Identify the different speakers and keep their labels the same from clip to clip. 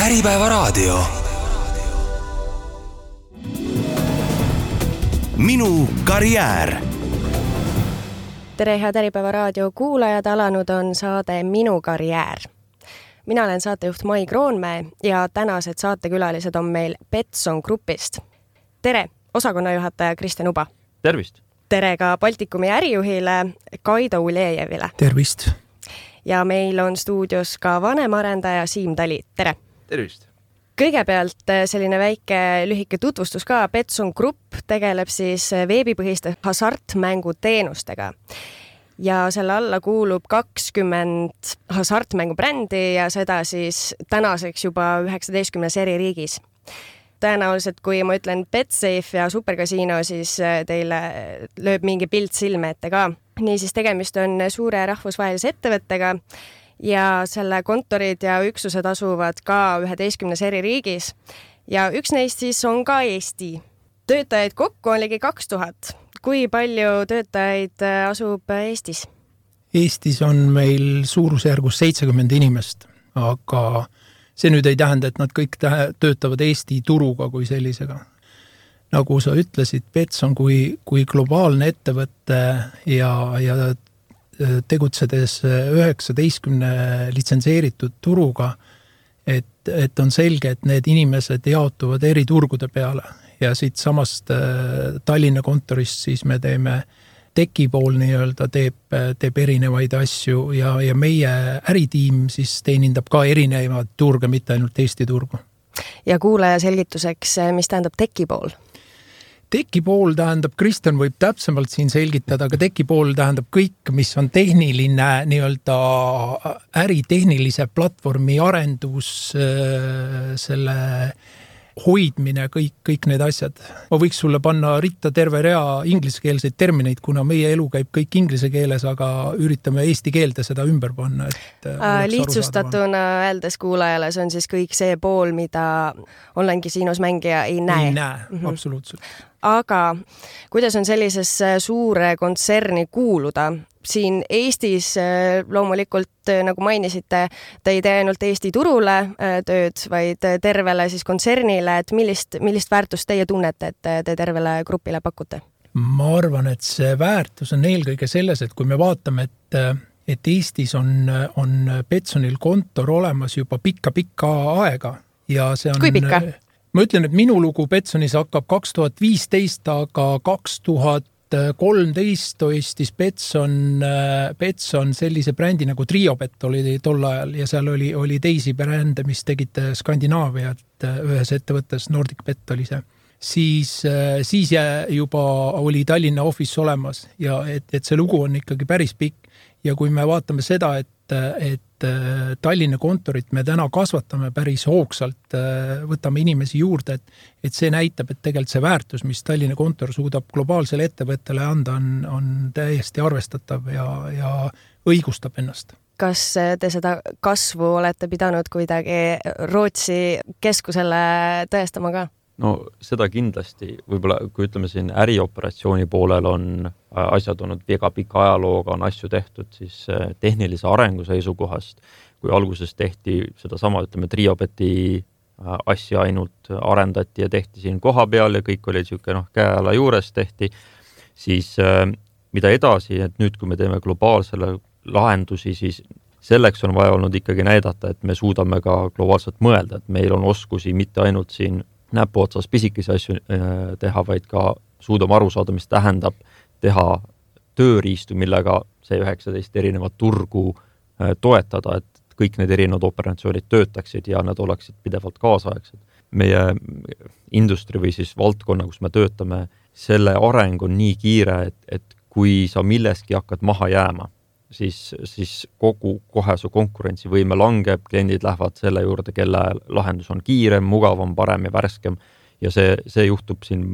Speaker 1: Äripäevaraadio. Minu karjäär.
Speaker 2: Tere, head Äripäevaraadio kuulajad, alanud on saade Minu karjäär. Mina olen saatejuht Mai Kroonmäe ja tänased saatekülalised on meil Betsson Grupist. Tere, osakonnajuhataja Kristjan Uba.
Speaker 3: Tervist.
Speaker 2: Tere ka Baltikumi ärijuhile Kaido Ulejevile.
Speaker 4: Tervist.
Speaker 2: Ja meil on stuudios ka vanemarendaja Siim Tali. Tere.
Speaker 3: Tervist.
Speaker 2: Kõigepealt selline väike lühike tutvustus ka. Betsson Grupp tegeleb siis veebipõhiste hasartmänguteenustega. Ja selle alla kuulub 20 hasartmängubrändi ja seda siis tänaseks juba 19 eri riigis. Tõenäoliselt, kui ma ütlen Betsafe ja Supercasino, siis teile lööb mingi pilt silme ette ka. Niisiis tegemist on suure rahvusvahelise ettevõttega ja selle kontorid ja üksused asuvad ka 11 eri riigis. Ja üks neist siis on ka Eesti. Töötajaid kokku on ligi 2000. Kui palju töötajaid asub Eestis?
Speaker 4: Eestis on meil suurusjärgus 70 inimest, aga see nüüd ei tähenda, et nad kõik töötavad Eesti turuga kui sellisega. Nagu sa ütlesid, Betsson kui globaalne ettevõtte ja tegutsedes 19 litsenseeritud turuga, et on selge, et need inimesed jaotuvad eri turgude peale. Ja siit samast Tallinna kontorist siis me teeme tekipool nii-öelda teeb erinevaid asju ja meie äritiim siis teenindab ka erinevaid turge, mitte ainult Eesti turgu.
Speaker 2: Ja kuulaja selgituseks, mis tähendab tekipool?
Speaker 4: Tekipool tähendab, Kristjan võib täpsemalt siin selgitada, aga tekipool tähendab kõik, mis on tehniline nii-öelda äritehnilise platvormi arendus, selle hoidmine, kõik need asjad. Ma võiks sulle panna ritta terve rea ingliskeelseid termineid, kuna meie elu käib kõik inglise keeles, aga üritame eesti keelde seda ümber panna.
Speaker 2: Lihtsustatuna öeldes kuulajale, see on siis kõik see pool, mida online-kasiinos mängija ei näe.
Speaker 4: Ei näe, absoluutselt.
Speaker 2: Aga kuidas on sellises suure kontserni kuuluda? Siin Eestis loomulikult, nagu mainisite, te ei tee ainult Eesti turule tööd, vaid tervele siis kontsernile, et millist väärtust teie tunnete, et te tervele grupile pakute?
Speaker 4: Ma arvan, et see väärtus on eelkõige selles, et kui me vaatame, et Eestis on Betssonil kontor olemas juba pikka aega. Ja see on,
Speaker 2: kui pikka?
Speaker 4: Ma ütlen, et minu lugu Betssonis hakkab 2015, aga 2013 toistis Betsson sellise brändi nagu Triobet oli tol ajal ja seal oli teisi brände, mis tegid Skandinaaviat ühes ettevõttes, Nordic Bet oli see. Siis juba oli Tallinna office olemas ja et see lugu on ikkagi päris pikk ja kui me vaatame seda, et Tallinna kontorit me täna kasvatame päris hoogsalt, võtame inimesi juurde, et see näitab, et tegelikult see väärtus, mis Tallinna kontor suudab globaalsele ettevõttele anda, on täiesti arvestatav ja õigustab ennast.
Speaker 2: Kas te seda kasvu olete pidanud kuidagi Rootsi keskusele tõestama ka?
Speaker 3: No seda kindlasti, võib-olla kui ütleme siin ärioperatsiooni poolel on asjad olnud väga pika ajalooga, on asju tehtud siis tehnilise arengu seisukohast, kui alguses tehti seda sama, ütleme Triobeti asja ainult arendati ja tehti siin koha peal ja kõik oli siuke käeala juures tehti, siis mida edasi, et nüüd kui me teeme globaalsele lahendusi, siis selleks on vaja olnud ikkagi näidata, et me suudame ka globaalselt mõelda, et meil on oskusi mitte ainult siin näpu otsas pisikesi asju teha, vaid ka suudame aru saada, mis tähendab teha tööriistu, millega see 19 erinevat turgu toetada, et kõik need erinevad operatsioonid töötaksid ja nad oleksid pidevalt kaasaegsed. Meie industri või siis valdkonna, kus me töötame, selle areng on nii kiire, et kui sa milleski hakkad maha jääma, siis kohe su konkurentsivõime langeb, kliendid lähevad selle juurde, kelle lahendus on kiirem, mugavam, parem ja värskem ja see juhtub siin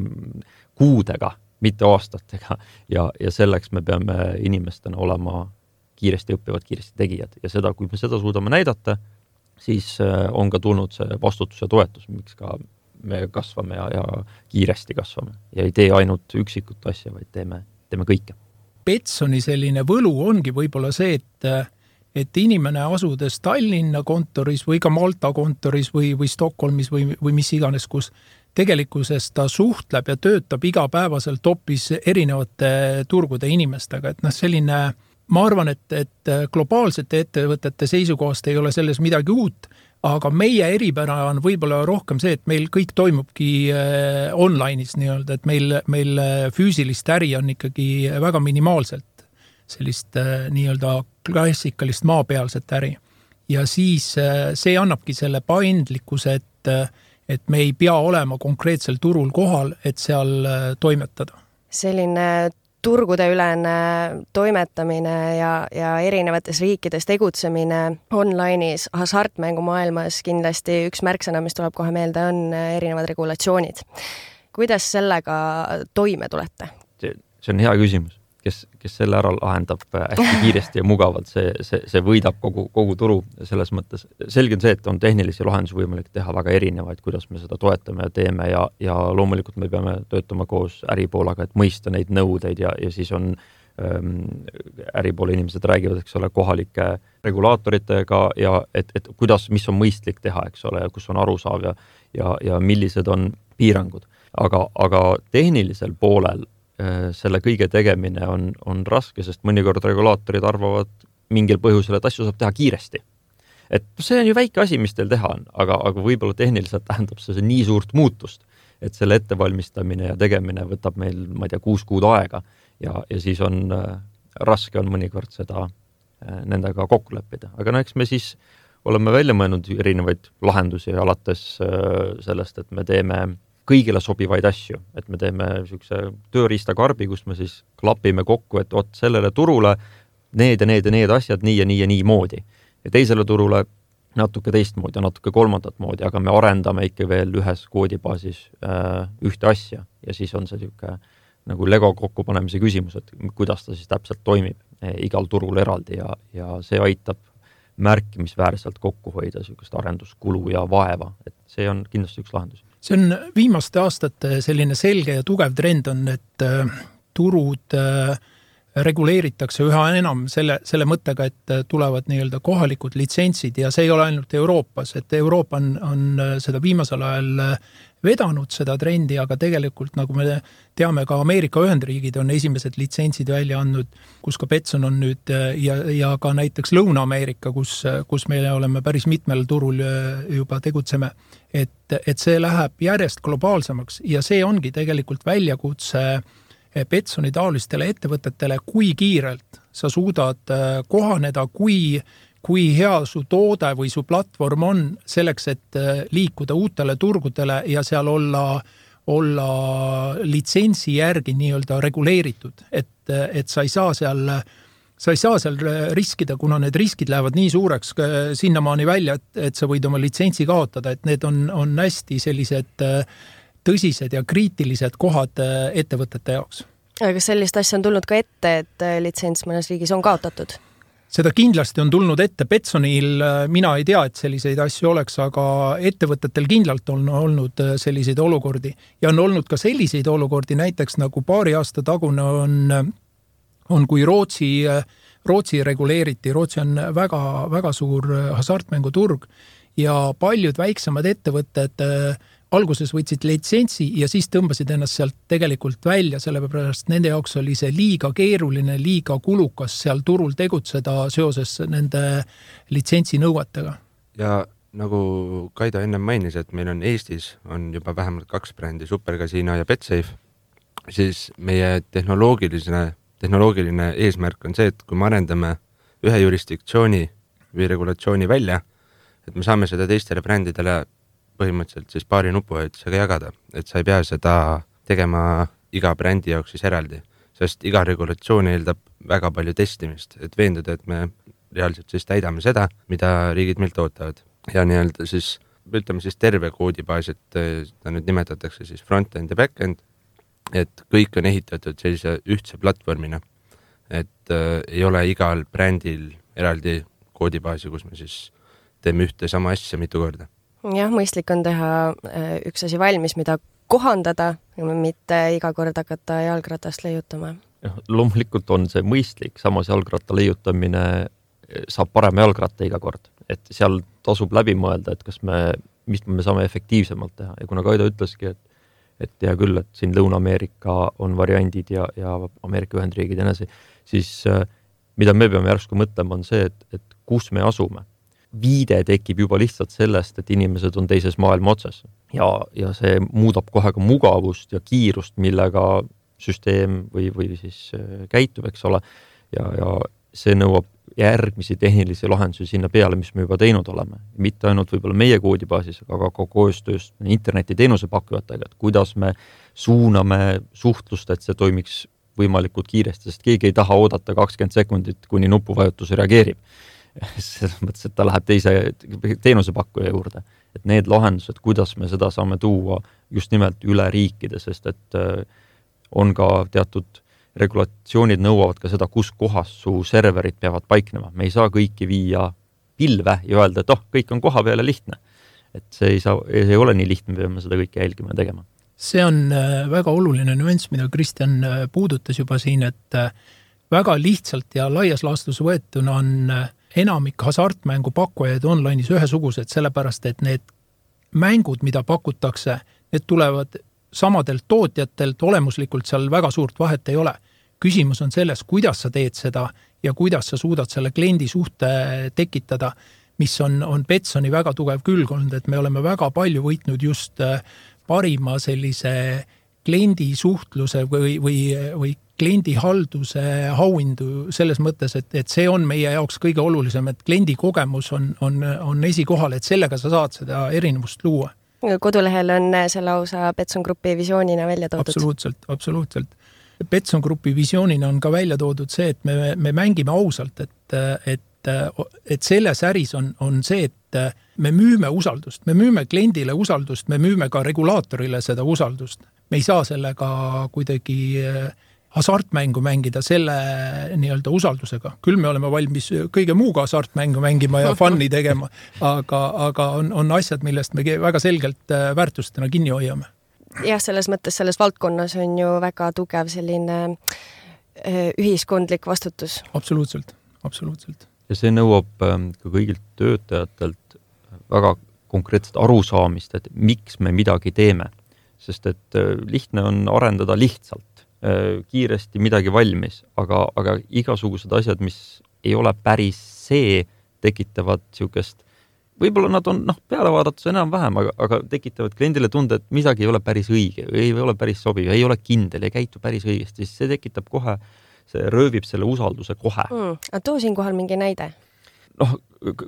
Speaker 3: kuudega, mitte aastatega ja selleks me peame inimestena olema kiiresti õppivad, kiiresti tegijad ja seda, kui me seda suudame näidata, siis on ka tulnud see vastutus ja toetus, miks ka me kasvame ja kiiresti kasvame ja ei tee ainult üksikut asja, vaid teeme kõike.
Speaker 4: Betssoni selline võlu ongi võib-olla see, et inimene asudes Tallinna kontoris või ka Malta kontoris või Stockholmis või mis iganes, kus tegelikkuses ta suhtleb ja töötab igapäevaselt hoopis erinevate turgude inimestega, et selline, ma arvan, et globaalsete ettevõtete seisukohast ei ole selles midagi uut, aga meie eripära on võib-olla rohkem see, et meil kõik toimubki online'is nii-öelda, et meil füüsilist äri on ikkagi väga minimaalselt sellist nii-öelda klassikalist maapealset äri. Ja siis see annabki selle paindlikkuse, et me ei pea olema konkreetsel turul kohal, et seal toimetada.
Speaker 2: Selline turgudeülene toimetamine ja erinevates riikides tegutsemine online'is hasartmängumaailmas kindlasti üks märksõna, mis tuleb kohe meelde, on erinevad regulatsioonid. Kuidas sellega toime tulete?
Speaker 3: See on hea küsimus. Kes selle ära lahendab hästi kiiresti ja mugavalt, see võidab kogu turu selles mõttes. Selge on see, et on tehnilisi lahendusi võimalik teha väga erinevaid, kuidas me seda toetame ja teeme ja loomulikult me peame töötama koos äripoolaga, et mõista neid nõudeid ja siis on äripoole inimesed räägivad, eks ole, kohalike regulaatoritega ja et kuidas, mis on mõistlik teha, eks ole, ja kus on arusaав ja millised on piirangud. Aga tehnilisel poolel selle kõige tegemine on raske, sest mõnikord regulaatorid arvavad mingil põhjusel, et asju saab teha kiiresti. Et see on ju väike asi, mis teil teha on, aga võib-olla tehniliselt tähendab see nii suurt muutust, et selle ettevalmistamine ja tegemine võtab meil, ma ei tea, 6 kuud aega ja siis on raske on mõnikord seda nendega kokku leppida. Aga eks me siis oleme välja mõelnud erinevaid lahendusi alates sellest, et me teeme kõigile sobivaid asju, et me teeme niisuguse tööriistakarbi, kus me siis klapime kokku, et sellele turule need asjad nii ja nii moodi. Ja teisele turule natuke teistmoodi ja natuke kolmandat moodi, aga me arendame ikka veel ühes koodibaasis ühte asja ja siis on see niisugune nagu Lego kokkupanemise küsimus, et kuidas ta siis täpselt toimib igal turul eraldi ja see aitab märkimisväärselt kokku hoida niisugust arenduskulu ja vaeva, et see on kindlasti üks lahendus.
Speaker 4: See on viimaste aastate selline selge ja tugev trend on, et turud reguleeritakse üha enam selle mõttega, et tulevad nii-öelda kohalikud litsentsid ja see ei ole ainult Euroopas, et Euroopa on seda viimasel ajal vedanud seda trendi, aga tegelikult, nagu me teame, ka Ameerika Ühendriigid on esimesed litsentsid välja andnud, kus ka Betson on nüüd ja ka näiteks Lõuna-Ameerika, kus me oleme päris mitmel turul juba tegutseme, et see läheb järjest globaalsemaks ja see ongi tegelikult väljakutse Betsoni taolistele ettevõtetele, kui kiirelt sa suudad kohaneda, kui hea su toode või su platvorm on selleks, et liikuda uutele turgudele ja seal olla litsentsi järgi nii-öelda reguleeritud, et sa ei saa seal riskida, kuna need riskid lähevad nii suureks sinnamaani välja, et sa võid oma litsentsi kaotada, et need on hästi sellised tõsised ja kriitilised kohad ettevõtete jaoks.
Speaker 2: Aga kas sellist asja on tulnud ka ette, et litsents mõnes riigis on kaotatud?
Speaker 4: Seda kindlasti on tulnud ette. Betsonil mina ei tea, et selliseid asju oleks, aga ettevõtetel kindlalt on olnud selliseid olukordi. Ja on olnud ka selliseid olukordi, näiteks nagu paari aasta tagune on kui Rootsi reguleeriti. Rootsi on väga, väga suur hasartmänguturg ja paljud väiksemad ettevõtted alguses võtsid litsentsi ja siis tõmbasid ennast sealt tegelikult välja, sellepärast nende jaoks oli see liiga keeruline, liiga kulukas seal turul tegutseda seoses nende litsentsi nõuetega.
Speaker 5: Ja nagu Kaido enne mainis, et meil on Eestis on juba vähemalt 2 brändi, Supercasino ja BetSafe, siis meie tehnoloogiline eesmärk on see, et kui me arendame ühe jurisdiktsiooni või regulatsiooni välja, et me saame seda teistele brändidele põhimõtteliselt siis paari nupuvajutusega jagada, et sa ei pea seda tegema iga brändi jaoks siis eraldi, sest iga regulatsioon eeldab väga palju testimist, et veenduda, et me reaalselt siis täidame seda, mida riigid meilt ootavad. Ja nii-öelda siis, ütleme siis terve koodibaas, et ta nüüd nimetatakse siis front-end ja back-end, et kõik on ehitatud sellise ühtse platvormina, et ei ole igal brändil eraldi koodibaasi, kus me siis teeme ühte sama asja mitu korda.
Speaker 2: Jah, mõistlik on teha üks asi valmis, mida kohandada, mitte iga kord hakata jalgratast leiutama.
Speaker 3: Loomulikult on see mõistlik, samas jalgratta leiutamine saab parema jalgratta iga kord, et seal tasub läbi mõelda, et mis me saame efektiivsemalt teha ja kuna Kaido ütleski, et hea küll, et siin Lõuna-Ameerika on variandid ja Ameerika Ühendriigid ja nii, siis mida me peame järsku mõtlema on see, et kus me asume. Viide tekib juba lihtsalt sellest, et inimesed on teises maailma otsas ja see muudab kohe ka mugavust ja kiirust, millega süsteem või siis käitub, eks ole, ja see nõuab järgmisi tehnilisi lahendusi sinna peale, mis me juba teinud oleme. Mitte ainult võib-olla meie koodibaasis, aga ka koostöös internetiteenuse pakkujatega, et kuidas me suuname suhtlust, et see toimiks võimalikult kiiresti, sest keegi ei taha oodata 20 sekundit, kuni nupuvajutus reageerib. Selles mõttes, et ta läheb teise teenusepakkuja juurde. Et need lahendused, kuidas me seda saame tuua just nimelt üle riikide, sest et on ka teatud regulatsioonid nõuavad ka seda, kus kohas su serverid peavad paiknema. Me ei saa kõiki viia pilve ja öelda, et kõik on koha peale lihtne. Et see ei ole nii lihtne, me peame seda kõike jälgima ja tegema.
Speaker 4: See on väga oluline nüanss, mida Kristjan puudutas juba siin, et väga lihtsalt ja laias laastus võetuna on enamik hasartmängu pakkujaid online'is ühesugused, sellepärast, et need mängud, mida pakutakse, need tulevad samadelt tootjatelt, olemuslikult seal väga suurt vahet ei ole. Küsimus on selles, kuidas sa teed seda ja kuidas sa suudad selle kliendi suhte tekitada, mis on Betsoni väga tugev külg olnud, et me oleme väga palju võitnud just parima sellise kliendi suhtluse või kliendi halduse auhindu selles mõttes, et see on meie jaoks kõige olulisem, et kliendi kogemus on esikohal, et sellega sa saad seda erinevust luua.
Speaker 2: Kodulehel on selle lausa Betson Grupi visioonina välja toodud.
Speaker 4: Absoluutselt. Betson Grupi visioonina on ka välja toodud see, et me mängime ausalt, et selles äris on see, et me müüme usaldust, me müüme kliendile usaldust, me müüme ka regulaatorile seda usaldust. Me ei saa sellega kuidagi hasartmängu mängida selle nii-öelda usaldusega. Küll me oleme valmis kõige muuga hasartmängu mängima ja fun'i tegema, aga on asjad, millest me väga selgelt väärtustena kinni hoiame.
Speaker 2: Jah, selles mõttes selles valdkonnas on ju väga tugev selline ühiskondlik vastutus.
Speaker 4: Absoluutselt.
Speaker 3: Ja see nõuab ka kõigilt töötajatelt väga konkreetset arusaamist, et miks me midagi teeme. Sest et lihtne on arendada lihtsalt, kiiresti midagi valmis, aga igasugused asjad, mis ei ole päris see, tekitavad siukest, võib-olla nad on peale vaadates enam vähem, aga tekitavad kliendile tunde, et midagi ei ole päris õige, ei ole päris sobiv, ei ole kindel, ei käitu päris õigesti, siis see tekitab kohe, see röövib selle usalduse kohe.
Speaker 2: Aga too siin kohal mingi näide?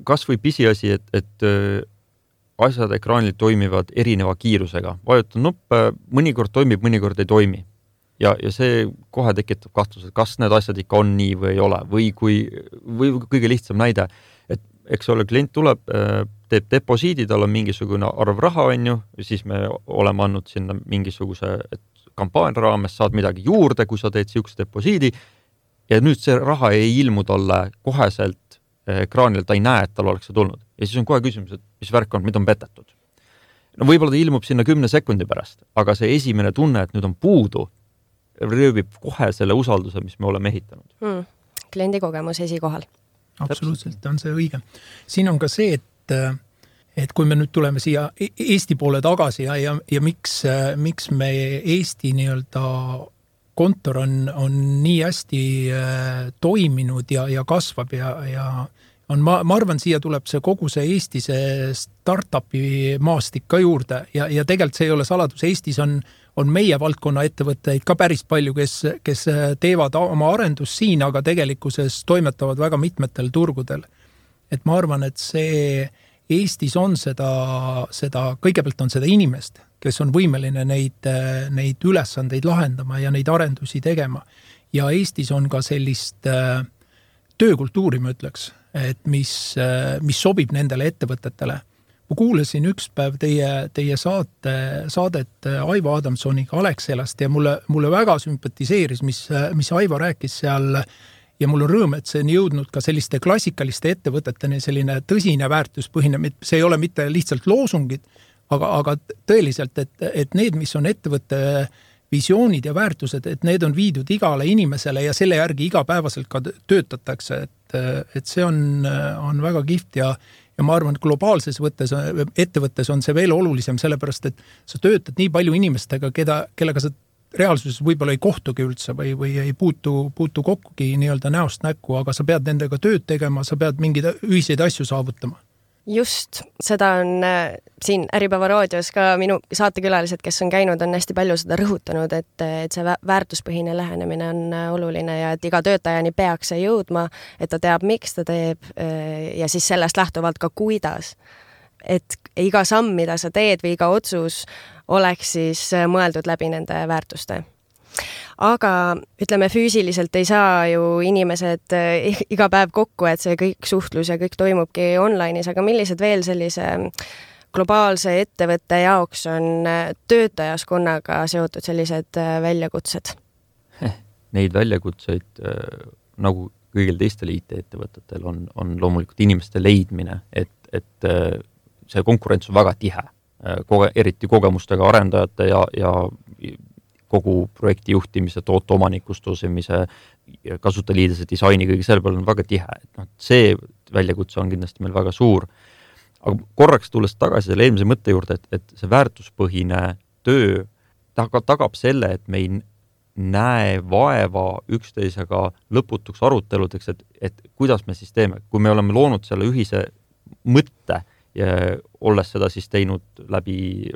Speaker 3: Kas või pisiasi, et asjad ekraanil toimivad erineva kiirusega. Vajutan nuppe, mõnikord toimib, mõnikord ei toimi. Ja see kohe tekitab kahtluse, kas need asjad ikka on nii või ei ole. Või kõige lihtsam näide, et eks ole, klient tuleb, teeb deposiidi, tal on mingisugune arv raha, siis me oleme andnud sinna mingisuguse kampaania raames, saad midagi juurde, kui sa teed siukse deposiidi ja nüüd see raha ei ilmu talle koheselt ekraanil, ta ei näe, et tal oleks see tulnud. Ja siis on kohe küsimus, et mis värk on, mida on petetud. Võib-olla ta ilmub sinna 10 sekundi pärast, aga see esimene tunne, et nüüd on puudu, röövib kohe selle usalduse, mis me oleme ehitanud.
Speaker 2: Kliendi kogemus esikohal.
Speaker 4: Absoluutselt on see õige. Siin on ka see, et kui me nüüd tuleme siia Eesti poole tagasi ja miks me Eesti nii-öelda kontor on nii hästi toiminud ja kasvab ja ma arvan, siia tuleb see kogu see Eesti startupi maastik ka juurde ja tegelikult see ei ole saladus. Eestis on meie valdkonna ettevõtteid ka päris palju, kes teevad oma arendust siin, aga tegelikkuses toimetavad väga mitmetel turgudel. Et ma arvan, et see Eestis on seda kõigepealt on seda inimest, kes on võimeline neid ülesandeid lahendama ja neid arendusi tegema. Ja Eestis on ka sellist töökultuuri, ma ütleks, et mis sobib nendele ettevõtetele. Ma kuulasin üks päev teie saadet Aivo Adamsoniga Alexelast ja mulle väga sümpatiseeris, mis Aivo rääkis seal ja mul on rõõm, et see on jõudnud ka selliste klassikaliste ettevõteteni selline tõsine väärtuspõhine, see ei ole mitte lihtsalt loosungid, aga tõeliselt, et need, mis on ettevõtte visioonid ja väärtused, et need on viidud igale inimesele ja selle järgi igapäevaselt ka töötatakse, et see on väga kihvt ja ma arvan, et globaalses ettevõttes on see veel olulisem, sellepärast, et sa töötad nii palju inimestega, kellega sa reaalsuses võib-olla ei kohtugi üldse või ei puutu kokkugi nii-öelda näost näkku, aga sa pead nendega tööd tegema, sa pead mingeid ühiseid asju saavutama.
Speaker 2: Just, seda on siin Äripäeva raadios ka minu saatekülalised, kes on käinud, on hästi palju seda rõhutanud, et see väärtuspõhine lähenemine on oluline ja et iga töötajani peaks see jõudma, et ta teab, miks ta teeb ja siis sellest lähtuvalt ka kuidas. Et iga samm, mida sa teed või iga otsus oleks siis mõeldud läbi nende väärtuste. Aga ütleme, füüsiliselt ei saa ju inimesed iga päev kokku, et see kõik suhtlus ja kõik toimubki online'is, aga millised veel sellise globaalse ettevõtte jaoks on töötajaskonnaga seotud sellised väljakutsed?
Speaker 3: Neid väljakutseid nagu kõigil teistel IT-ettevõtetel on loomulikult inimeste leidmine, et see konkurents on väga tihe, eriti kogemustega arendajate ja kogu projekti juhtimise, toote omanikustusimise, kasutajaliidese disaini, kõige selle peal on väga tihe. See väljakutse on kindlasti meil väga suur. Aga korraks tulles tagasi selle eelmise mõtte juurde, et see väärtuspõhine töö tagab selle, et me ei näe vaeva üksteisega lõputuks aruteludeks, et kuidas me siis teeme. Kui me oleme loonud selle ühise mõtte ja olles seda siis teinud läbi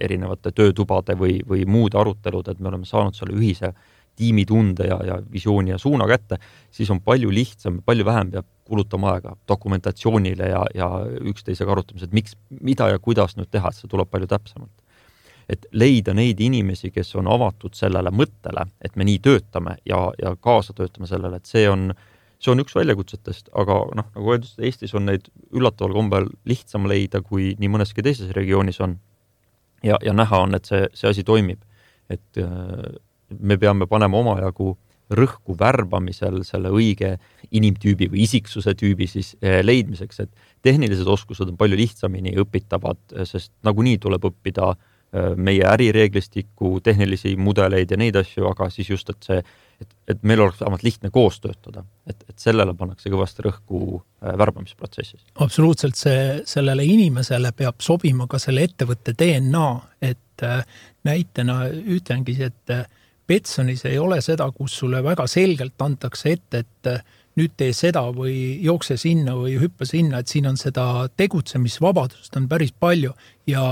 Speaker 3: erinevate töötubade või muude arutelud, et me oleme saanud selle ühise tiimitunde ja visiooni ja suuna kätte, siis on palju lihtsam, palju vähem peab kulutama aega dokumentatsioonile ja üksteisega arutamised, mida ja kuidas nüüd teha, et see tuleb palju täpsemalt. Et leida neid inimesi, kes on avatud sellele mõttele, et me nii töötame ja kaasa töötame sellele, et see on üks väljakutsetest, aga nagu öeldud, Eestis on neid üllataval kombel lihtsam leida, kui nii mõneski teises regioonis on. Ja näha on, et see asi toimib. Et me peame panema omajagu rõhku värbamisel selle õige inimtüübi või isiksuse tüübi siis leidmiseks, et tehnilised oskused on palju lihtsamini õpitavad, sest nagunii tuleb õppida meie ärireeglistikku, tehnilisi mudeleid ja neid asju, aga siis just, et meil oleks vähemalt lihtne koos töötada, et sellele pannakse kõvasti rõhku värbamisprotsessis.
Speaker 4: Absoluutselt, sellele inimesele peab sobima ka selle ettevõtte DNA, et näitena ütlengi, et Betsonis ei ole seda, kus sulle väga selgelt antakse ette, et nüüd tee seda või jookse sinna või hüppa sinna, et siin on seda tegutsemisvabadust on päris palju ja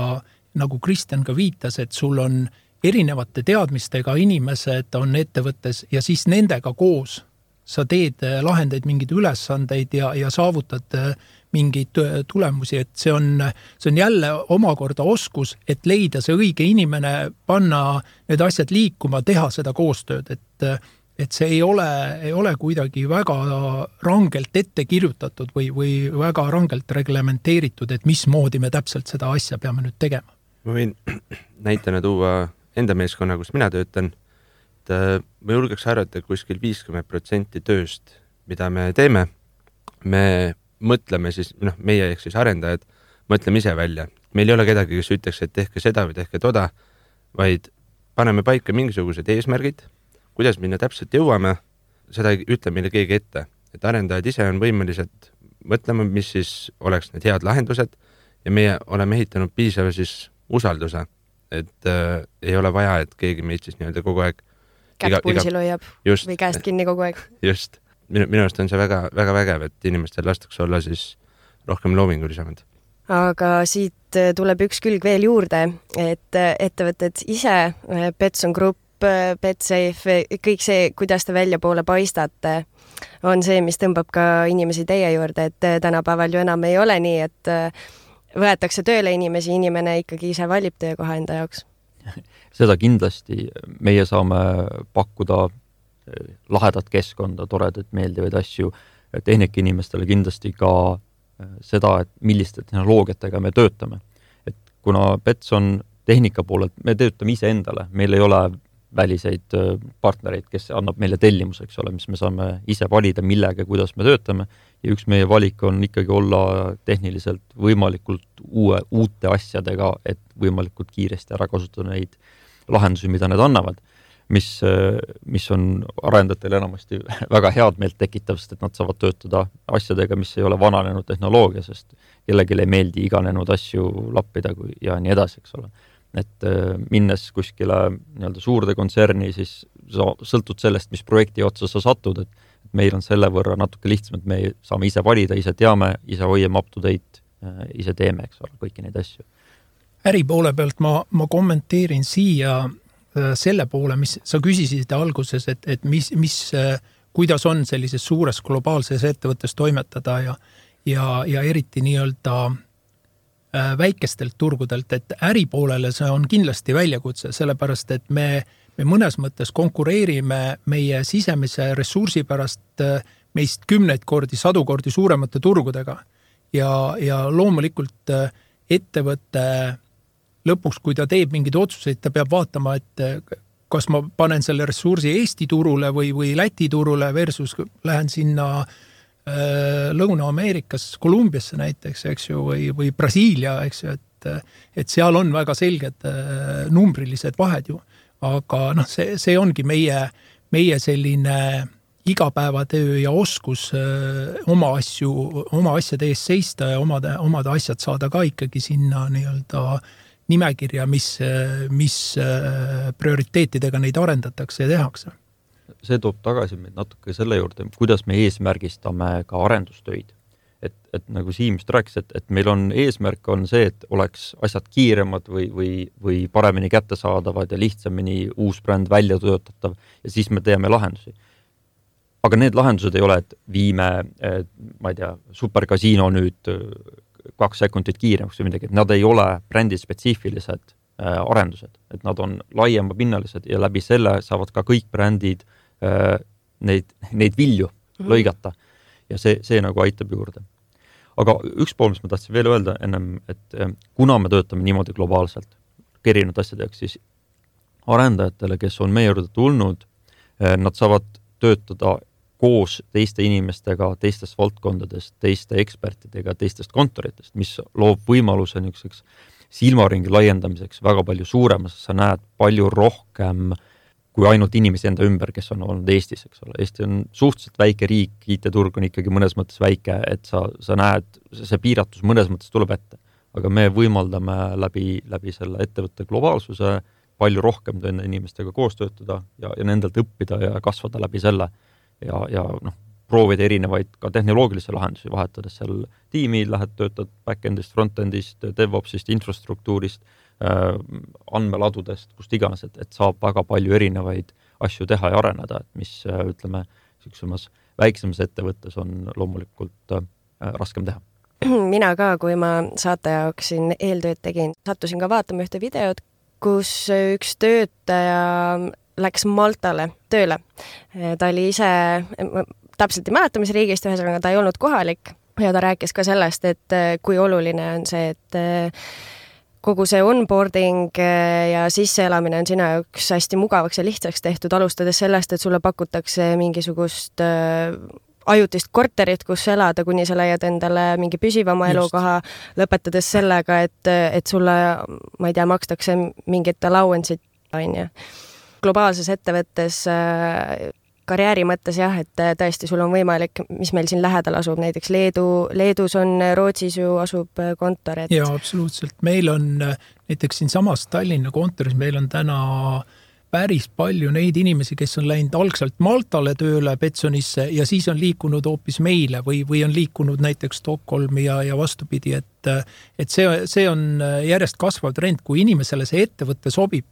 Speaker 4: nagu Kristjan ka viitas, et sul on erinevate teadmistega inimesed on ettevõttes ja siis nendega koos sa teed lahendeid mingeid ülesandeid ja saavutad mingeid tulemusi, et see on jälle omakorda oskus, et leida see õige inimene, panna need asjad liikuma, teha seda koostööd, et see ei ole kuidagi väga rangelt ette kirjutatud või väga rangelt reglementeeritud, et mismoodi me täpselt seda asja peame nüüd tegema.
Speaker 5: Ma võin näitena tuua enda meeskonna, kus mina töötan, et ma julgeks arvata, et kuskil 50% tööst, mida me teeme, me mõtleme siis, meie ehk siis arendajad, mõtleme ise välja. Meil ei ole kedagi, kes ütleks, et tehke seda või tehke toda, vaid paneme paika mingisugused eesmärgid, kuidas minna täpselt jõuame, seda ei ütle meile keegi ette. Et arendajad ise on võimelised mõtlema, mis siis oleks need head lahendused ja meie oleme ehitanud piisava siis usalduse, et ei ole vaja, et keegi meid siis nii-öelda kogu aeg
Speaker 2: kätt pulsil hoiab või käest kinni kogu aeg.
Speaker 5: Just. Minu arust on see väga, väga vägev, et inimestel lastakse olla siis rohkem loomingulisemad.
Speaker 2: Aga siit tuleb üks külg veel juurde, et ettevõtted ise, Betson Group, Betsafe, kõik see, kuidas te välja poole paistate, on see, mis tõmbab ka inimesi teie juurde, et tänapäeval ju enam ei ole nii, et võetakse tööle inimene ikkagi ise valib töökoha enda jaoks.
Speaker 3: Seda kindlasti meie saame pakkuda lahedat keskkonda, toredat, meeldivaid asju. Tehnika inimestele kindlasti ka seda, et milliste tehnoloogiatega me töötame. Et kuna Betson tehnika poolelt, me töötame ise endale, meil ei ole väliseid partnereid, kes annab meile tellimuseks, mis me saame ise valida, millega, kuidas me töötame. Ja üks meie valik on ikkagi olla tehniliselt võimalikult uute asjadega, et võimalikult kiiresti ära kasutada neid lahendusi, mida need annavad. mis on arendajatel enamasti väga head meelt tekitav, sest et nad saavad töötada asjadega, mis ei ole vananenud tehnoloogia, sest kellelegi ei meeldi iganenud asju lappida ja nii edasi, eks ole. Et minnes kuskile nii-öelda suurde kontserni, siis sa sõltud sellest, mis projekti otsa sa satud, et meil on selle võrra natuke lihtsam, et me saame ise valida, ise teame, ise hoiame up to date, ise teeme, eks ole, kõiki neid asju.
Speaker 4: Äri poole pealt ma kommenteerin siia selle poole, mis sa küsisid alguses, et kuidas on sellises suures globaalses ettevõttes toimetada ja eriti nii-öelda väikestelt turgudelt, et äri poolele see on kindlasti väljakutse, sellepärast et me mõnes mõttes konkureerime meie sisemise ressursi pärast meist 10 kordi, 100 kordi suuremate turgudega ja loomulikult ettevõtte lõpuks, kui ta teeb mingeid otsuseid, ta peab vaatama, et kas ma panen selle ressursi Eesti turule või Läti turule versus lähen sinna Lõuna-Ameerikas, Kolumbiasse näiteks, eks ju, või Brasiilia, eks ju, et seal on väga selged numbrilised vahed ju. Aga see ongi meie selline igapäevatöö ja oskus oma asjade ees seista ja omade asjad saada ka ikkagi sinna nii-öelda nimekirja, mis prioriteetidega neid arendatakse ja tehakse.
Speaker 3: See toob tagasi meid natuke selle juurde, kuidas me eesmärgistame ka arendustöid. Et nagu Siim just rääkis, et meil on eesmärk on see, et oleks asjad kiiremad või paremini kättesaadavad ja lihtsamini uus bränd välja töötatav ja siis me teeme lahendusi. Aga need lahendused ei ole, et viime, ma ei tea, superkasiino nüüd 2 sekundit kiiremaks või midagi, et nad ei ole brändi spetsiifilised arendused, et nad on laiema pinnalised ja läbi selle saavad ka kõik brändid neid vilju lõigata ja see nagu aitab juurde. Aga üks pool, mis ma tahtsin veel öelda ennem, et kuna me töötame niimoodi globaalselt erinevad asjad, siis arendajatele, kes on meie juurde tulnud, nad saavad töötada koos teiste inimestega, teistest valdkondadest, teiste ekspertidega, teistest kontoritest, mis loob võimaluse niisuguseks silmaringi laiendamiseks väga palju suuremas, sa näed palju rohkem kui ainult inimesi enda ümber, kes on olnud Eestis, eks ole. Eesti on suhteliselt väike riik, IT-turg on ikkagi mõnes mõttes väike, et sa näed, see piiratus mõnes mõttes tuleb ette. Aga me võimaldame läbi selle ettevõtte globaalsuse palju rohkem inimestega koos töötada ja nendelt õppida ja kasvada läbi selle ja proovida erinevaid ka tehnoloogilisi lahendusi vahetades seal tiimi, lähed töötad backendist, frontendist, DevOpsist, infrastruktuurist, andmeladudest, kust iganes, et saab väga palju erinevaid asju teha ja areneda, et mis, ütleme, süksemas väiksemas ettevõttes on loomulikult raskem teha.
Speaker 2: Mina ka, kui ma saate jaoks siin eeltööd tegin, sattusin ka vaatama ühte videot, kus üks töötaja läks Maltale tööle. Ta oli ise, täpselt ei mäleta, mis riigist, ühesõnaga ta ei olnud kohalik ja ta rääkis ka sellest, et kui oluline on see, et kogu see onboarding ja sisseelamine on sina jaoks hästi mugavaks ja lihtsaks tehtud, alustades sellest, et sulle pakutakse mingisugust ajutist korterit, kus elada, kuni sa leiad endale mingi püsivama elukoha, lõpetades sellega, et sulle, ma ei tea, makstakse mingit allowance'it, on ju. Globaalses ettevõttes karjääri mõttes jah, et tõesti sul on võimalik, mis meil siin lähedal asub, näiteks Leedus on, Rootsis ju asub kontor.
Speaker 4: Ja, absoluutselt. Meil on näiteks siin samas Tallinna kontoris, meil on täna päris palju neid inimesi, kes on läinud algselt Maltale tööle Betsonisse ja siis on liikunud hoopis meile või on liikunud näiteks Stockholmi ja vastupidi, et see on järjest kasvav trend, kui inimesele see ettevõtte sobib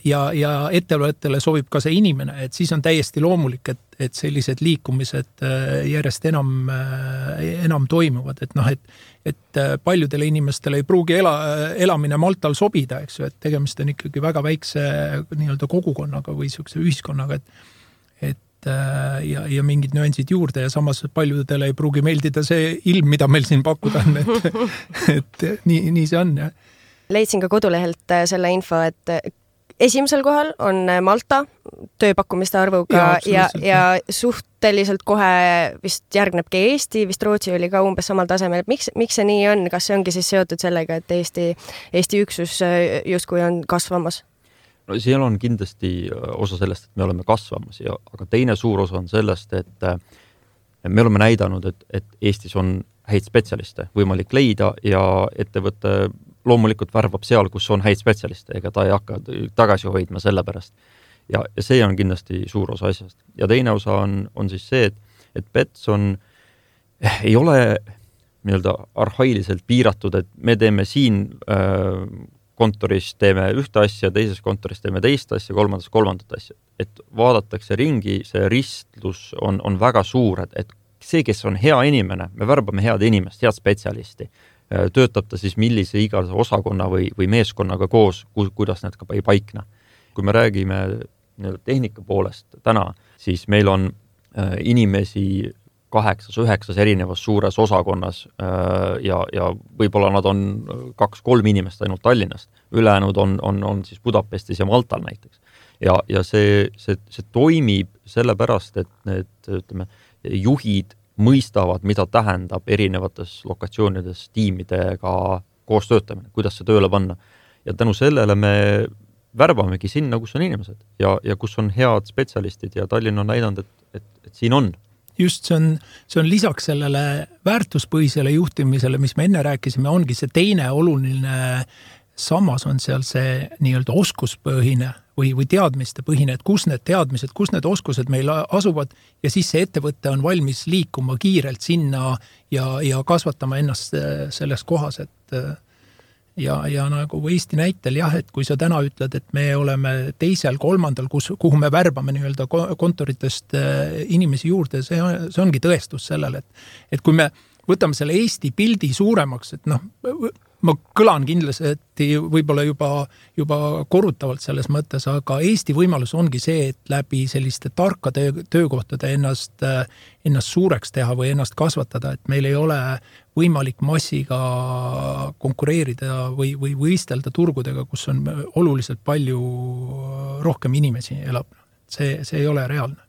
Speaker 4: ja ettevõttele sobib ka see inimene, et siis on täiesti loomulik, et sellised liikumised järjest enam toimuvad, et paljudele inimestele ei pruugi elamine Maltal sobida, eks ju, et tegemist on ikkagi väga väikse nii-öelda kogukonnaga või niisuguse ühiskonnaga, ja mingid nüansid juurde ja samas paljudele ei pruugi meeldida see ilm, mida meil siin pakkuda on, et nii see on. Ja.
Speaker 2: Leidsin ka kodulehelt selle info, et esimesel kohal on Malta tööpakkumiste arvuga ja suhteliselt kohe vist järgnebki Eesti, vist Rootsi oli ka umbes samal tasemel. Miks see nii on? Kas see ongi siis seotud sellega, et Eesti üksus justkui on kasvamas?
Speaker 3: No seal on kindlasti osa sellest, et me oleme kasvamas aga teine suur osa on sellest, et me oleme näidanud, et Eestis on häid spetsialiste võimalik leida ja ettevõte loomulikult värbab seal, kus on häid spetsialiste, ega ta ei hakka tagasi hoidma selle pärast. Ja see on kindlasti suur osa asjast. Ja teine osa on siis see, et Betson ei ole nii-öelda arhailiselt piiratud, et me teeme siin kontoris teeme ühte asja, teises kontoris teeme teist asja, kolmandat asja. Et vaadatakse ringi, see ristlus on väga suur, et see, kes on hea inimene, me värbame head inimest, head spetsialisti, töötab ta siis millise iga osakonna või meeskonnaga koos, kuidas need ka ei paikna. Kui me räägime tehnika poolest täna, siis meil on inimesi 8-9 erinevas suures osakonnas ja võib-olla nad on 2-3 inimest ainult Tallinnast. Ülejäänud on siis Budapestis ja Maltal näiteks. Ja see toimib sellepärast, et need, ütleme, juhid mõistavad, mida tähendab erinevates lokatsioonides tiimidega koos töötamine, kuidas see tööle panna. Ja tänu sellele me värbamegi sinna, kus on inimesed ja kus on head spetsialistid ja Tallinn on näidanud, et siin on.
Speaker 4: Just see on lisaks sellele väärtuspõhisele juhtimisele, mis me enne rääkisime, ongi see teine oluline sammas on seal see nii-öelda oskuspõhine või teadmiste põhine, et kus need teadmised, kus need oskused meil asuvad ja siis see ettevõte on valmis liikuma kiirelt sinna ja kasvatama ennast selles kohas, et ja nagu Eesti näitel jah, et kui sa täna ütled, et me oleme teisel, kolmandal, kuhu me värbame nii-öelda kontoritest inimesi juurde, see ongi tõestus sellele, et kui me võtame selle Eesti pildi suuremaks, et ma kõlan kindlasti võib-olla juba korrutavalt selles mõttes, aga Eesti võimalus ongi see, et läbi selliste tarkade töökohtade ennast suureks teha või ennast kasvatada, et meil ei ole võimalik massiga konkureerida või võistelda turgudega, kus on oluliselt palju rohkem inimesi elab. See ei ole reaalne.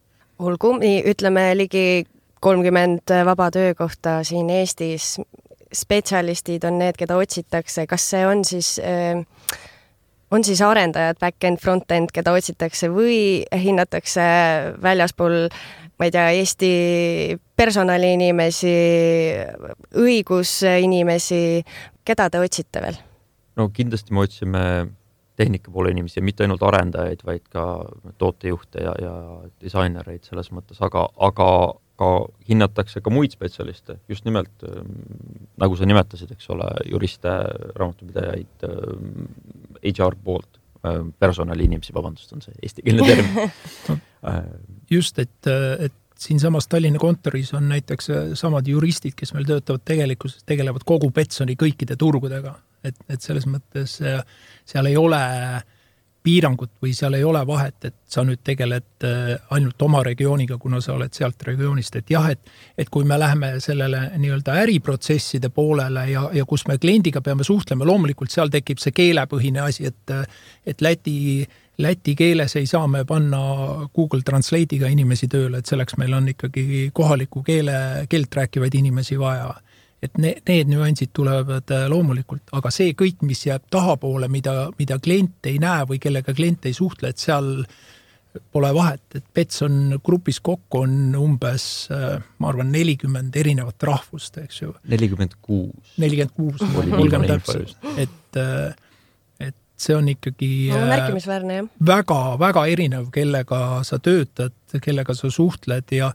Speaker 2: Olgu, ütleme ligi 30 vaba töökohta siin Eestis, spetsialistid on need, keda otsitakse. Kas see on siis arendajad, back-end, front-end, keda otsitakse või hinnatakse väljaspool, ma ei tea, Eesti personaliinimesi, õigusinimesi, keda te otsite veel?
Speaker 3: No kindlasti me otsime tehnika poole inimesi ja mitte ainult arendajaid, vaid ka tootejuhte ja disainereid selles mõttes, aga hinnatakse ka muid spetsialiste, just nimelt, nagu sa nimetasid, eks ole, juriste, raamatupidajaid, HR poolt, personaliinimesi, vabandust, on see eestikeelne termin.
Speaker 4: Just, et siin samas Tallinna kontoris on näiteks samad juristid, kes meil töötavad tegelevad kogu Betsoni kõikide turgudega, et selles mõttes seal ei ole piirangut või seal ei ole vahet, et sa nüüd tegeled ainult oma regiooniga, kuna sa oled sealt regioonist, et jah, et kui me läheme sellele nii-öelda äriprotsesside poolele ja kus me kliendiga peame suhtlema, loomulikult seal tekib see keelepõhine asi, et läti keeles ei saa me panna Google Translate'iga inimesi tööle, et selleks meil on ikkagi kohaliku keelt rääkivaid inimesi vaja. Et need nüansid tulevad loomulikult, aga see kõik, mis jääb tahapoole, mida klient ei näe või kellega klient ei suhtle, et seal pole vahet, et Betson grupis kokku on umbes, ma arvan, 40 erinevat rahvust, eks ju. 46 olgem täpselt, et see on ikkagi
Speaker 2: märkimisväärne, jah.
Speaker 4: Väga, väga erinev, kellega sa töötad, kellega sa suhtled ja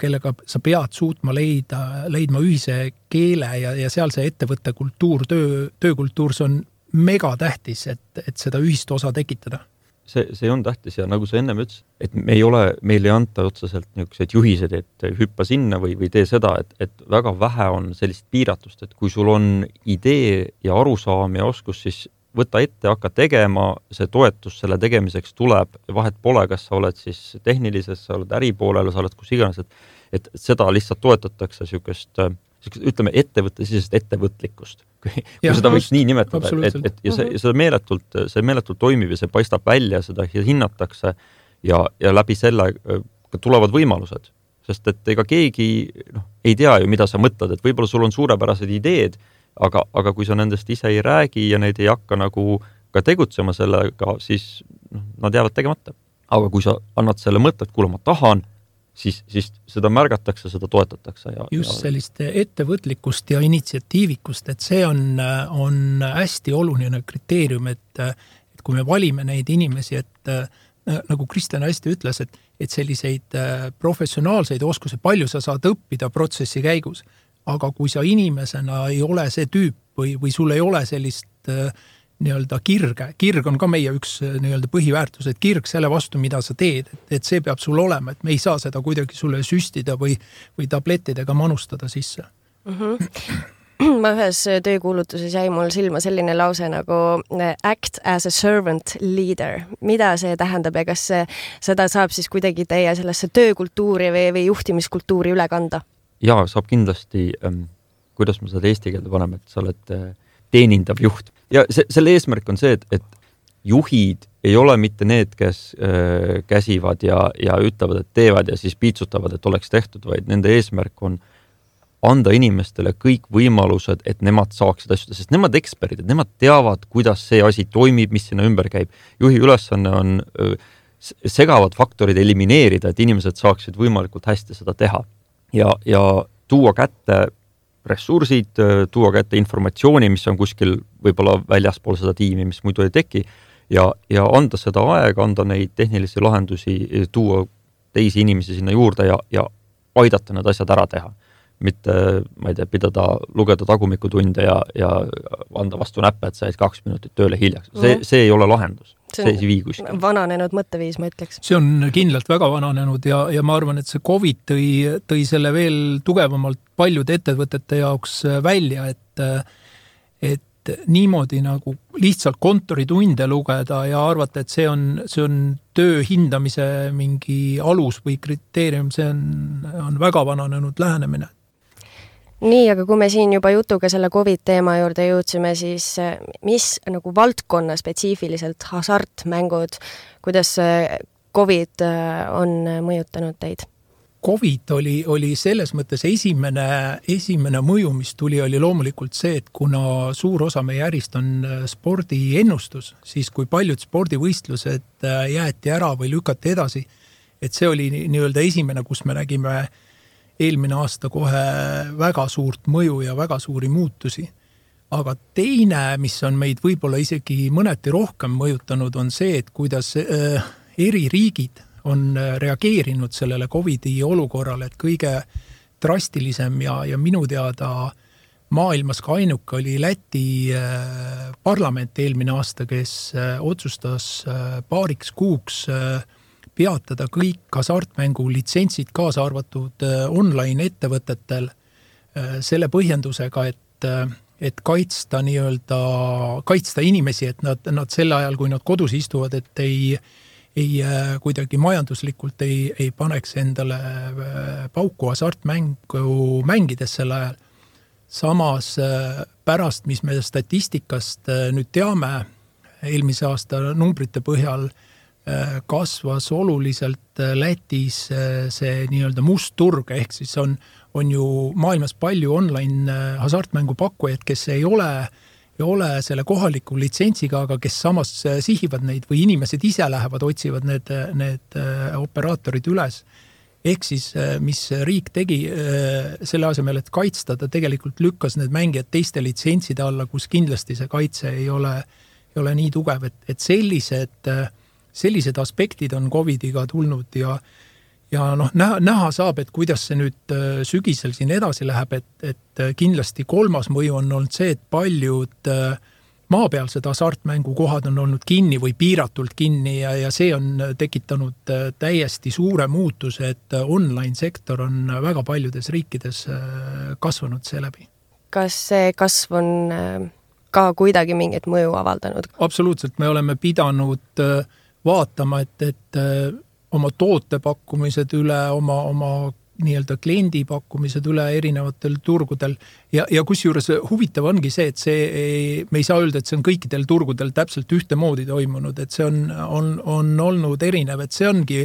Speaker 4: kellega sa pead suutma leidma ühise keele ja seal see ettevõtte kultuur, töökultuur, see on mega tähtis, et seda ühist osa tekitada.
Speaker 3: See on tähtis ja nagu sa ennem ütles, et meil ei anta otseselt niisugused juhised, et hüppa sinna või tee seda, et väga vähe on sellist piiratust, et kui sul on idee ja arusaam ja oskus, siis võta ette, hakka tegema, see toetus selle tegemiseks tuleb, vahet pole, kas sa oled siis tehnilises, sa oled äripoolel, sa oled kus iganes, et seda lihtsalt toetatakse niisugust, ütleme, ettevõttesisest ettevõtlikkust, kui seda võiks nii nimetada, ja see meeletult toimib ja see paistab välja, seda hinnatakse ja läbi selle tulevad võimalused, sest et ega keegi ei tea ju, mida sa mõtled, et võib-olla sul on suurepärased ideed, aga kui sa nendest ise ei räägi ja neid ei hakka nagu hakka tegutsema sellega, siis nad jäävad tegemata. Aga kui sa annad selle mõtte, et kuule, ma tahan, siis seda märgatakse, seda toetatakse.
Speaker 4: Just sellist ettevõtlikkust ja initsiatiivikust, et see on hästi oluline kriteerium, et kui me valime neid inimesi, et nagu Kristjan hästi ütles, et selliseid professionaalseid oskusi palju sa saad õppida protsessi käigus, aga kui sa inimesena ei ole see tüüp või sul ei ole sellist nii-öelda kirg on ka meie üks nii-öelda põhiväärtus, et kirg selle vastu, mida sa teed, et see peab sul olema, et me ei saa seda kuidagi sulle süstida või tablettidega manustada sisse.
Speaker 2: Ma ühes töökuulutuses jäi mul silma selline lause nagu act as a servant leader. Mida see tähendab ja kas seda saab siis kuidagi teie sellesse töökultuuri või juhtimiskultuuri üle kanda?
Speaker 3: Jaa, saab kindlasti, kuidas me seda eesti keelde paneme, et sa oled teenindav juht. Ja selle eesmärk on see, et juhid ei ole mitte need, kes käsivad ja ütlevad, et teevad ja siis piitsutavad, et oleks tehtud, vaid nende eesmärk on anda inimestele kõik võimalused, et nemad saaksid asjada, sest nemad eksperdid, nemad teavad, kuidas see asi toimib, mis sinna ümber käib. Juhi ülesanne on segavad faktorid elimineerida, et inimesed saaksid võimalikult hästi seda teha ja tuua kätte ressursid, tuua kätte informatsiooni, mis on kuskil võib-olla väljaspool seda tiimi, mis muidu ei teki ja anda seda aega, anda neid tehnilisi lahendusi, tuua teisi inimesi sinna juurde ja aidata need asjad ära teha. Mitte, ma ei tea, pidada lugeda tagumikutunde ja anda vastu näppe, et sa jäid 2 minutit tööle hiljaks. See ei ole lahendus. See ei vii kuskil.
Speaker 2: Vananenud mõtteviis, ma ütleks.
Speaker 4: See on kindlalt väga vananenud ja ma arvan, et see COVID tõi selle veel tugevamalt paljude ettevõtete jaoks välja, et niimoodi nagu lihtsalt kontoritunde lugeda ja arvata, et see on töö hindamise mingi alus või kriteerium, see on väga vananenud lähenemine.
Speaker 2: Nii, aga kui me siin juba jutuga selle COVID teema juurde jõudsime, siis mis nagu valdkonna spetsiifiliselt hasartmängud, kuidas COVID on mõjutanud teid?
Speaker 4: COVID oli selles mõttes esimene mõju, mis tuli, oli loomulikult see, et kuna suur osa meie ärist on spordiennustus, siis kui paljud spordivõistlused jäeti ära või lükati edasi, et see oli nii-öelda esimene, kus me nägime eelmine aasta kohe väga suurt mõju ja väga suuri muutusi. Aga teine, mis on meid võib-olla isegi mõneti rohkem mõjutanud, on see, et kuidas eri riigid on reageerinud sellele COVID-i olukorrale, et kõige drastilisem ja minu teada maailmas ka ainuke oli Läti parlament eelmine aasta, kes otsustas paariks kuuks peatada kõik hasartmängu litsentsid kaasa arvatud online ettevõtetel selle põhjendusega, et kaitsta inimesi, et nad sel ajal, kui nad kodus istuvad, et ei kuidagi majanduslikult ei paneks endale pauku hasartmängu mängides sel ajal. Samas pärast, mis me statistikast nüüd teame, eelmise aasta numbrite põhjal kasvas oluliselt Lätis see nii-öelda must turg, ehk siis on ju maailmas palju online hasartmängu pakkujaid, kes ei ole selle kohaliku litsentsiga, aga kes samas sihivad neid või inimesed ise lähevad, otsivad need operaatorid üles. Ehk siis, mis riik tegi selle asemel, et kaitsta, ta tegelikult lükkas need mängijad teiste litsentside alla, kus kindlasti see kaitse ei ole nii tugev, et sellised aspektid on COVID-iga tulnud ja näha saab, et kuidas see nüüd sügisel siin edasi läheb, et kindlasti kolmas mõju on olnud see, et paljud maapealsed hasartmängukohad on olnud kinni või piiratult kinni ja see on tekitanud täiesti suure muutuse, et online sektor on väga paljudes riikides kasvanud seeläbi. Kas
Speaker 2: see kasv on ka kuidagi mingit mõju avaldanud?
Speaker 4: Absoluutselt, me oleme pidanud vaatama, et oma tootepakkumised üle, oma nii-öelda kliendipakkumised üle erinevatel turgudel ja kusjuures huvitav ongi see, et me ei saa öelda, et see on kõikidel turgudel täpselt ühtemoodi toimunud, et see on olnud erinev, et see ongi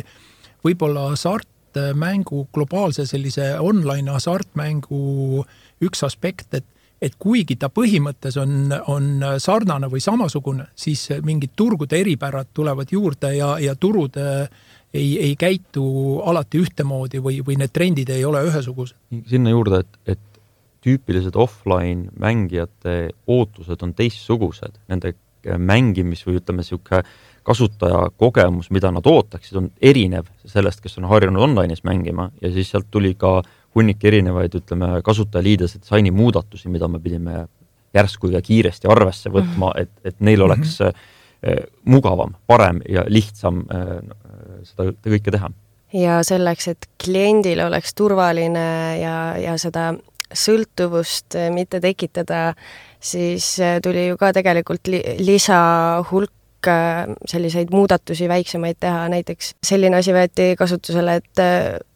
Speaker 4: võib-olla hasartmängu globaalse sellise online hasartmängu üks aspekt, et kuigi ta põhimõttes on sarnane või samasugune, siis mingid turgude eripärad tulevad juurde ja turud ei käitu alati ühtemoodi või need trendid ei ole ühesugused.
Speaker 3: Sinna juurde, et tüüpilised offline mängijate ootused on teistsugused. Nende mängimis või ütleme siuke kasutaja kogemus, mida nad ootaksid, on erinev sellest, kes on harjunud online'is mängima ja siis sealt tuli ka hunnik erinevaid, ütleme, kasutajaliidese disaini muudatusi, mida me pidime järsku ja kiiresti arvesse võtma, et neil oleks mugavam, parem ja lihtsam seda kõike teha.
Speaker 2: Ja selleks, et kliendil oleks turvaline ja seda sõltuvust mitte tekitada, siis tuli ju ka tegelikult lisahulk selliseid muudatusi väiksemaid teha. Näiteks selline asi võeti kasutusele, et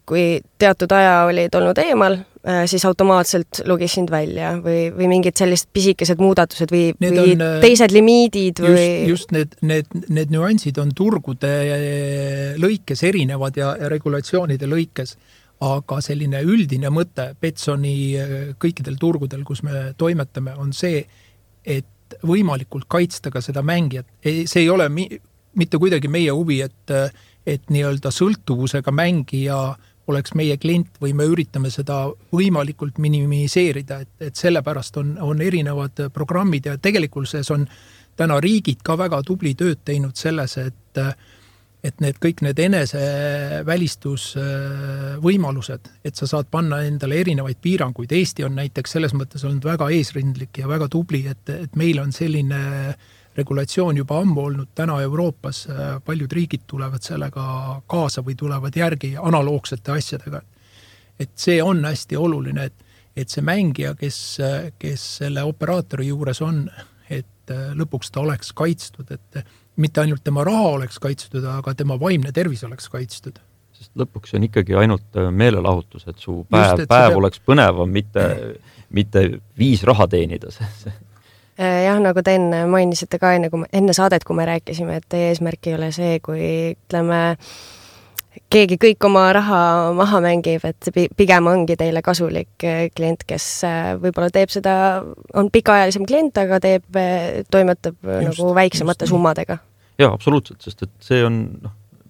Speaker 2: kui teatud aja olid olnud eemal, siis automaatselt lugis sind välja või mingid sellised pisikesed muudatused või teised limiidid või...
Speaker 4: Just need nüansid on turgude lõikes erinevad ja regulatsioonide lõikes, aga selline üldine mõte Betsoni kõikidel turgudel, kus me toimetame, on see, et võimalikult kaitsta ka seda mängijat. See ei ole mitte kuidagi meie huvi, et nii-öelda sõltuvusega mängija oleks meie klient või me üritame seda võimalikult minimiseerida, et sellepärast on erinevad programmid ja tegelikult on täna riigid ka väga tubli tööd teinud selles, et kõik need enesevälistusvõimalused, et sa saad panna endale erinevaid piiranguid. Eesti on näiteks selles mõttes olnud väga eesrindlik ja väga tubli, et meil on selline regulatsioon juba ammu olnud täna Euroopas. Paljud riigid tulevad sellega kaasa või tulevad järgi analoogsete asjadega. Et see on hästi oluline, et see mängija, kes selle operaatori juures on, et lõpuks ta oleks kaitstud, et mitte ainult tema raha oleks kaitstud, aga tema vaimne tervis oleks kaitstud.
Speaker 3: Sest lõpuks on ikkagi ainult meelelahutus, et su päev oleks põnevam, mitte 5 raha teenida.
Speaker 2: Jah, nagu te enne mainisite ka enne saadet, kui me rääkisime, et teie eesmärk ei ole see, kui ütleme, keegi kõik oma raha maha mängib, et pigem ongi teile kasulik klient, kes võib-olla teeb seda, on pikaajalisem klient, aga toimetab nagu väiksemate summadega.
Speaker 3: Jaa, absoluutselt, sest et see on,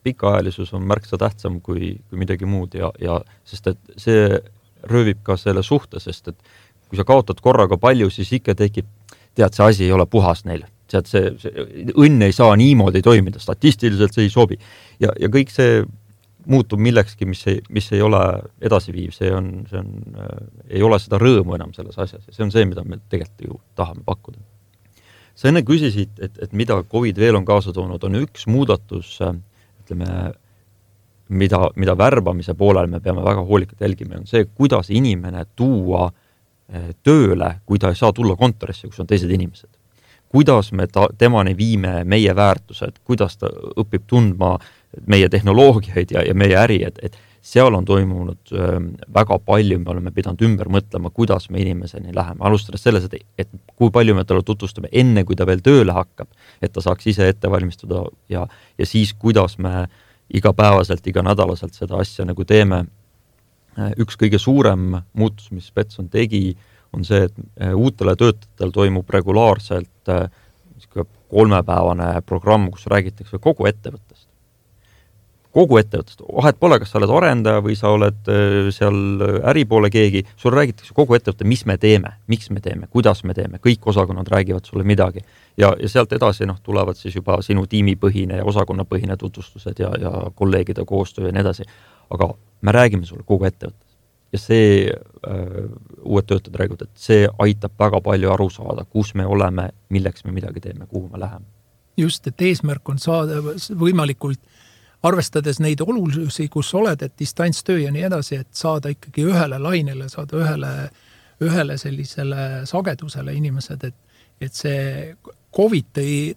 Speaker 3: pikaajalisus on märksa tähtsam kui midagi muud ja sest et see röövib ka selle suhte, sest et kui sa kaotad korraga palju, siis ikka tekib, tead, see asi ei ole puhas neile. Tead, see õnn ei saa niimoodi toimida, statistiliselt see ei sobi. Ja kõik see muutub millekski, mis ei ole edasiviiv, see ei ole seda rõõmu enam selles asjas ja see on see, mida me tegelikult ju tahame pakkuda. Sa enne küsisid, et mida COVID veel on kaasa toonud, on üks muudatus, ütleme, mida värbamise poolel me peame väga hoolikalt jälgima, on see, kuidas inimene tuua tööle, kui ta ei saa tulla kontorisse, kus on teised inimesed. Kuidas me temani viime meie väärtused, kuidas ta õpib tundma meie tehnoloogiaid ja meie äri, et seal on toimunud väga palju, me oleme pidanud ümber mõtlema, kuidas me inimeseni läheme. Alustades selles, et kui palju me talle tutvustame enne, kui ta veel tööle hakkab, et ta saaks ise ette valmistuda ja siis, kuidas me igapäevaselt, iganädalaselt seda asja nagu teeme. Üks kõige suurem muutus, mis Betson tegi, on see, et uutele töötajatel toimub regulaarselt 3-päevane programm, kus räägitakse kogu ettevõttest. Kogu ettevõttest. Vahet pole, kas sa oled arendaja või sa oled seal äripoole keegi, sul räägitakse kogu ettevõtte, mis me teeme, miks me teeme, kuidas me teeme, kõik osakonnad räägivad sulle midagi. Ja sealt edasi tulevad siis juba sinu tiimipõhine ja osakonnapõhine tutvustused ja kolleegide koostöö ja nii edasi. Aga me räägime sulle kogu ettevõttes. Ja see uued töötajad räägivad, et see aitab väga palju aru saada, kus me oleme, milleks me midagi teeme, kuhu me läheme.
Speaker 4: Just, et eesmärk on saada võimalikult, arvestades neid olususi, kus oled, et distantstöö ja nii edasi, et saada ikkagi ühele lainele, saada ühele sellisele sagedusele inimesed, et see COVID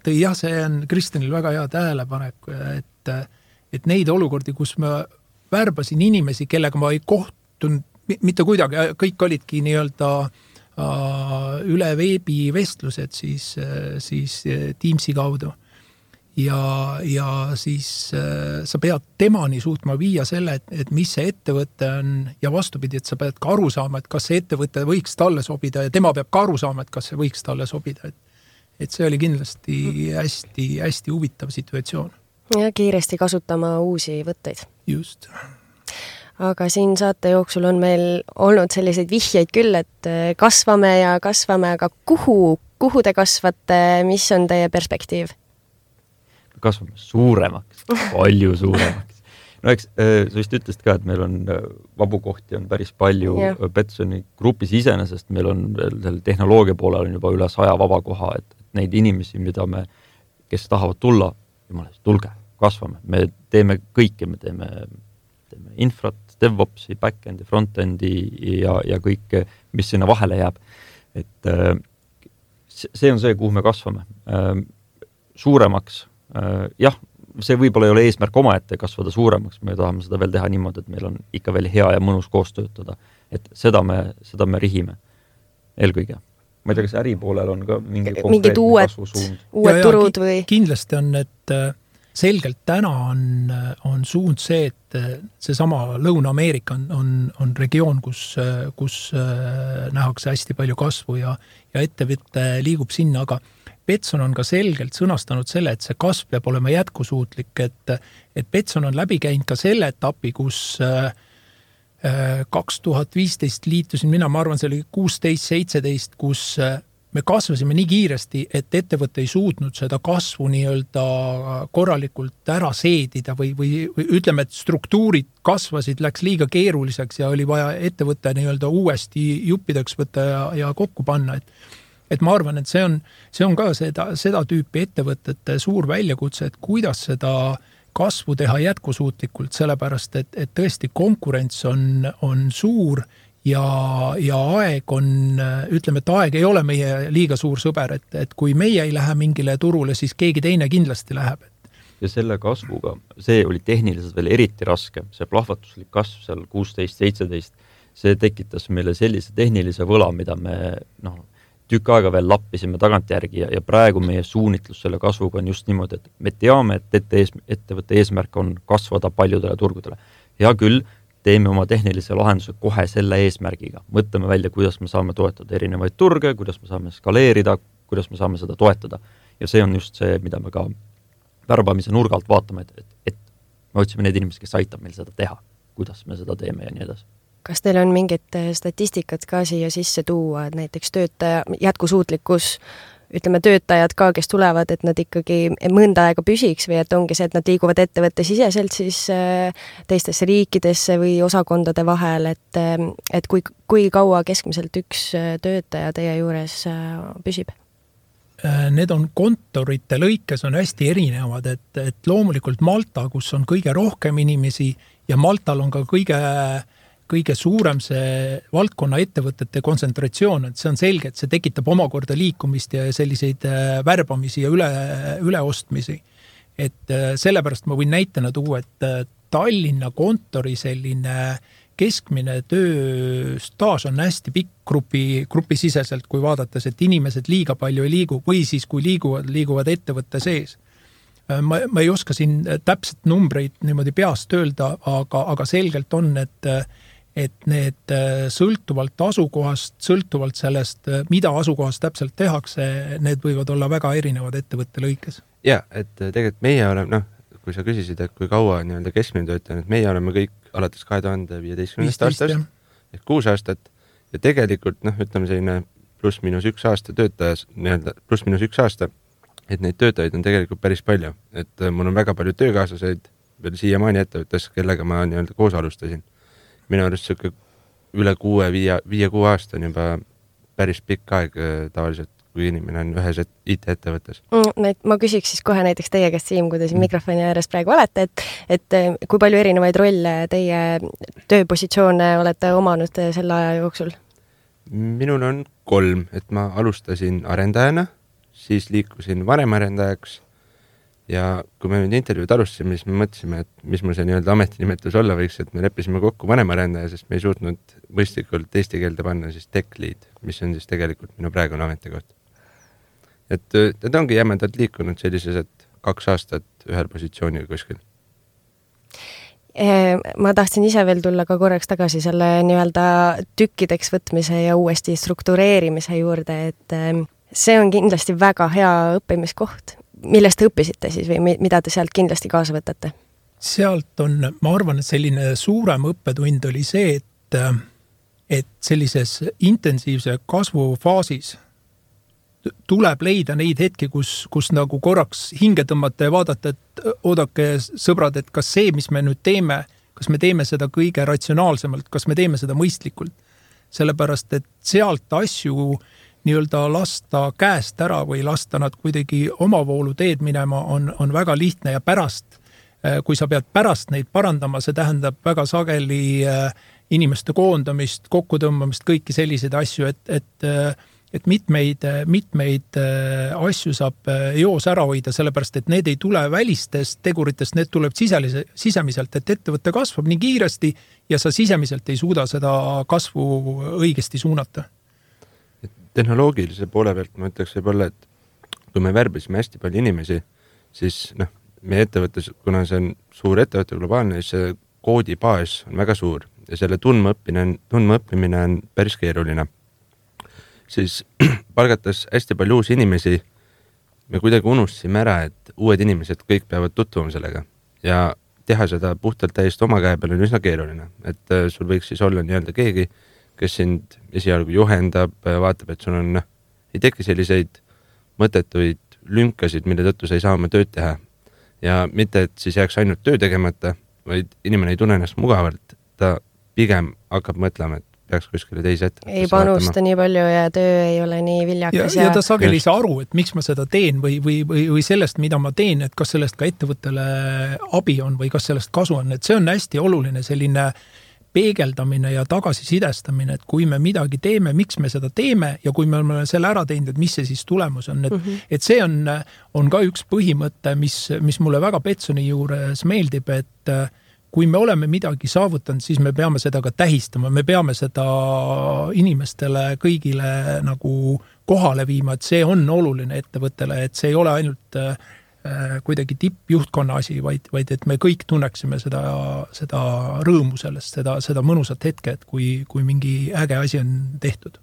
Speaker 4: tõi jah, see on Kristjanil väga hea tähelepanek, et neid olukordi, kus me värbasin inimesi, kellega ma ei kohtunud mitte kuidagi, kõik olidki nii-öelda üle veebivestlused siis Teamsi kaudu. ja siis sa pead temani suutma viia selle, et mis see ettevõte on ja vastupidi, et sa pead ka aru saama, et kas see ettevõte võiks talle sobida ja tema peab ka aru saama, et kas see võiks talle sobida. Et see oli kindlasti hästi huvitav situatsioon.
Speaker 2: Ja kiiresti kasutama uusi võtteid.
Speaker 4: Just.
Speaker 2: Aga siin saate jooksul on meil olnud selliseid vihjeid küll, et kasvame, aga kuhu te kasvate, mis on teie perspektiiv?
Speaker 3: Kasvame suuremaks, palju suuremaks. No eks sa vist ütlesid ka, et meil on vabu kohti on päris palju Betsoni grupis iseenesest, meil on veel tehnoloogia poolel on juba üle 100 vaba koha, et neid inimesi, kes tahavad tulla, jumalast, tulge, kasvame. Me teeme kõike, me teeme infrat, DevOpsi, backendi, frontendi ja kõik, mis sinna vahele jääb. Et see on see, kuhu me kasvame. Suuremaks, jah, see võib-olla ei ole eesmärk omaette kasvada suuremaks, me tahame seda veel teha niimoodi, et meil on ikka veel hea ja mõnus koos töötada. Et seda me rihime eelkõige. Ma ei tea, kas äri poolel on ka mingi konkreetne kasvusuund?
Speaker 2: Uued turud või?
Speaker 4: Kindlasti on, et selgelt täna on suund see, et seesama Lõuna-Ameerika on regioon, kus nähakse hästi palju kasvu ja ettevõte liigub sinna, aga Betson on ka selgelt sõnastanud selle, et see kasv peab olema jätkusuutlik, et Betson on läbi käinud ka selle etapi, kus 2015 liitusin mina, ma arvan, see oli 16-17, kus me kasvasime nii kiiresti, et ettevõte ei suutnud seda kasvu nii-öelda korralikult ära seedida või ütleme, et struktuurid kasvasid, läks liiga keeruliseks ja oli vaja ettevõte nii-öelda uuesti juppideks võtta ja kokku panna. Et ma arvan, et see on ka seda tüüpi ettevõtete suur väljakutse, et kuidas seda kasvu teha jätkusuutlikult, sellepärast, et tõesti konkurents on suur ja aeg on, ütleme, et aeg ei ole meie liiga suur sõber, et kui meie ei lähe mingile turule, siis keegi teine kindlasti läheb.
Speaker 3: Ja selle kasvuga, see oli tehniliselt veel eriti raske, see plahvatuslik kasv seal 16-17, see tekitas meile sellise tehnilise võla, mida me tükk aega veel lappisime tagantjärgi ja praegu meie suunitlus selle kasvuga on just niimoodi, et me teame, et ettevõtte eesmärk on kasvada paljudele turgudele. Hea küll, teeme oma tehnilise lahenduse kohe selle eesmärgiga. Mõtleme välja, kuidas me saame toetada erinevaid turge, kuidas me saame skaleerida, kuidas me saame seda toetada. Ja see on just see, mida me ka värbamise nurgalt vaatame, et me otsime need inimesed, kes aitab meil seda teha, kuidas me seda teeme ja nii edasi.
Speaker 2: Kas teil on mingit statistikat ka siia sisse tuua, et näiteks töötaja jätkusuutlikkus, ütleme töötajad ka, kes tulevad, et nad ikkagi mõnda aega püsiks või et ongi see, et nad liiguvad ettevõtte siseselt siis teistesse riikidesse või osakondade vahel, et kui kaua keskmiselt üks töötaja teie juures püsib?
Speaker 4: Need on kontorite lõikes on hästi erinevad, et loomulikult Malta, kus on kõige rohkem inimesi ja Maltal on ka kõige suurem see valdkonna ettevõtete kontsentratsioon, et see on selge, et see tekitab omakorda liikumist ja selliseid värbamisi ja üleostmisi. Et sellepärast ma võin näitena tuua, et Tallinna kontori selline keskmine tööstaaž on hästi pikk grupisiseselt, kui vaadates, et inimesed liiga palju ei liigu või siis kui liiguvad ettevõtte sees. Ma ei oska siin täpselt numbreid niimoodi peast öelda, aga selgelt on, et need sõltuvalt asukohast, sõltuvalt sellest, mida asukohast täpselt tehakse, need võivad olla väga erinevad ettevõtte lõikes.
Speaker 5: Ja, et tegelikult meie oleme, kui sa küsisid, et kui kaua nii-öelda keskmine töötaja, et meie oleme kõik alates 2015 aastast, ehk 6 aastat, ja tegelikult, ütleme selline +-1 aasta töötajas, nii-öelda +-1 aasta, et neid töötajaid on tegelikult päris palju. Et mul on väga palju töökaaslaseid veel siiamaani ettevõttes, kellega ma nii-öelda koos alustasin. Minu arust üle 5-6 aasta on juba päris pikk aeg tavaliselt, kui inimene on ühes IT-ettevõttes.
Speaker 2: Ma küsiks siis kohe näiteks teie käest, Siim, kui te siin mikrofoni ääres praegu olete, et kui palju erinevaid rolle teie tööpositsioone olete omanud selle aja jooksul?
Speaker 5: Minul on 3, et ma alustasin arendajana, siis liikusin vanemarendajaks ja kui me nüüd intervjuud alustasime, siis me mõtlesime, et mis mul see nii-öelda ametinimetus olla võiks, et me leppisime kokku vanemarendaja, sest me ei suutnud mõistlikult eesti keelde panna siis tech lead, mis on siis tegelikult minu praegune ametikoht. Et ongi jämedalt liikunud sellises, et 2 aastat ühel positsioonil kuskil.
Speaker 2: Ma tahtsin ise veel tulla ka korraks tagasi selle nii-öelda tükkideks võtmise ja uuesti struktureerimise juurde, et see on kindlasti väga hea õppimiskoht. Millest te õppisite siis või mida te sealt kindlasti kaasa võtate?
Speaker 4: Sealt on, ma arvan, et selline suurem õppetund oli see, et sellises intensiivse kasvufaasis tuleb leida neid hetki, kus nagu korraks hinge tõmmata ja vaadata, et oodake sõbrad, et kas see, mis me nüüd teeme, kas me teeme seda kõige ratsionaalsemalt, kas me teeme seda mõistlikult. Sellepärast, et sealt asju nii-öelda lasta käest ära või lasta nad kuidagi omavoolu teed minema on väga lihtne ja pärast, kui sa pead pärast neid parandama, see tähendab väga sageli inimeste koondamist, kokkutõmbamist, kõiki selliseid asju, et mitmeid asju saab joos ära hoida, sellepärast, et need ei tule välistest teguritest, need tuleb sisemiselt, et ettevõte kasvab nii kiiresti ja sa sisemiselt ei suuda seda kasvu õigesti suunata.
Speaker 5: Tehnoloogilise poole pealt ma ütleks võib-olla, et kui me värbisime hästi palju inimesi, siis meie ettevõttes, kuna see on suur ettevõte globaalne, siis see koodibaas on väga suur ja selle tundmaõppimine on päris keeruline. Siis palgates hästi palju uusi inimesi, me kuidagi unustasime ära, et uued inimesed kõik peavad tutvuma sellega ja teha seda puhtalt täiesti oma käe peal on üsna keeruline, et sul võiks siis olla nii-öelda keegi, kes sind esialgu juhendab, vaatab, et sul on, ei teki selliseid mõttetuid lünkasid, mille tõttu sa ei saa oma tööd teha. Ja mitte, et siis jääks ainult töö tegemata, vaid inimene ei tunne ennast mugavalt, ta pigem hakkab mõtlema, et peaks kuskile teise ette.
Speaker 2: Ei panusta nii palju ja töö ei ole nii viljakas.
Speaker 4: Ja ta sageli ei saa aru, et miks ma seda teen või sellest, mida ma teen, et kas sellest ka ettevõttele abi on või kas sellest kasu on. Et see on hästi oluline selline peegeldamine ja tagasisidestamine, et kui me midagi teeme, miks me seda teeme ja kui me oleme selle ära teinud, et mis see siis tulemus on. Et see on ka üks põhimõte, mis mulle väga Betsoni juures meeldib, et kui me oleme midagi saavutanud, siis me peame seda ka tähistama, me peame seda inimestele kõigile nagu kohale viima, et see on oluline ettevõttele, et see ei ole ainult kuidagi tippjuhtkonna asi, vaid et me kõik tunneksime seda rõõmu sellest, seda mõnusat hetke, et kui mingi äge asi on tehtud.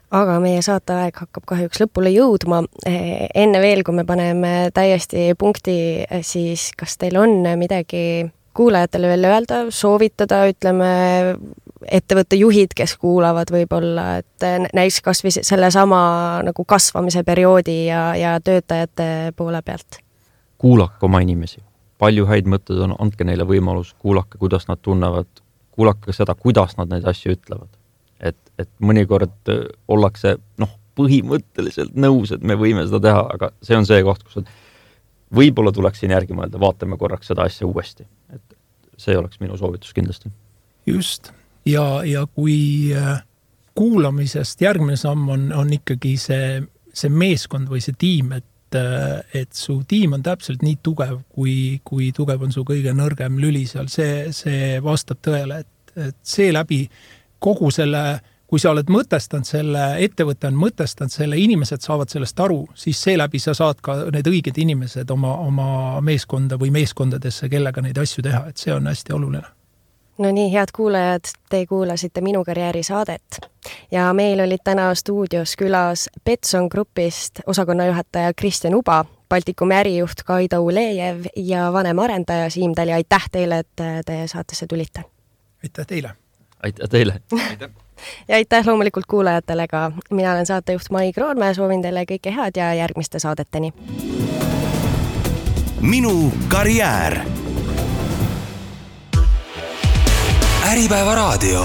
Speaker 2: Aga meie saateaeg hakkab kahjuks lõpule jõudma. Enne veel, kui me paneme täiesti punkti, siis kas teil on midagi kuulajatele veel öelda, soovitada, ütleme, ettevõtte juhid, kes kuulavad võib-olla, et näiks kas või selle sama nagu kasvamise perioodi ja töötajate poole pealt.
Speaker 3: Kuulake oma inimesi. Palju häid mõtted on, andke neile võimalus, kuulake, kuidas nad tunnevad, kuulake seda, kuidas nad neid asju ütlevad. Et mõnikord ollakse põhimõtteliselt nõus, et me võime seda teha, aga see on see koht, kus võib-olla tuleks siin järgi mõelda, vaatame korraks seda asja uuesti. Et see oleks minu soovitus kindlasti.
Speaker 4: Just. Ja kui kuulamisest järgmine samm on ikkagi see meeskond või see tiim, et su tiim on täpselt nii tugev, kui tugev on su kõige nõrgem lüli seal, see vastab tõele, et see läbi kogu selle, kui sa oled mõtestanud selle, ettevõte on mõtestanud selle, inimesed saavad sellest aru, siis seeläbi sa saad ka need õiged inimesed oma meeskonda või meeskondadesse, kellega neid asju teha, et see on hästi oluline.
Speaker 2: No nii, head kuulajad, te kuulasite Minu karjääri saadet ja meil olid täna stuudios külas Betson Grupist osakonnajuhataja Kristjan Uba, Baltikumi ärijuht Kaido Ulejev ja vanem arendaja Siim Tali. Aitäh teile, et te saatesse tulite.
Speaker 4: Aitäh teile.
Speaker 3: Aitäh teile.
Speaker 5: Aitäh.
Speaker 2: Ja aitäh loomulikult kuulajatele ka. Mina olen saatejuht Mai Kroonmäe, soovin teile kõike head ja järgmiste saadeteni.
Speaker 1: Minu karjäär. Äripäeva raadio.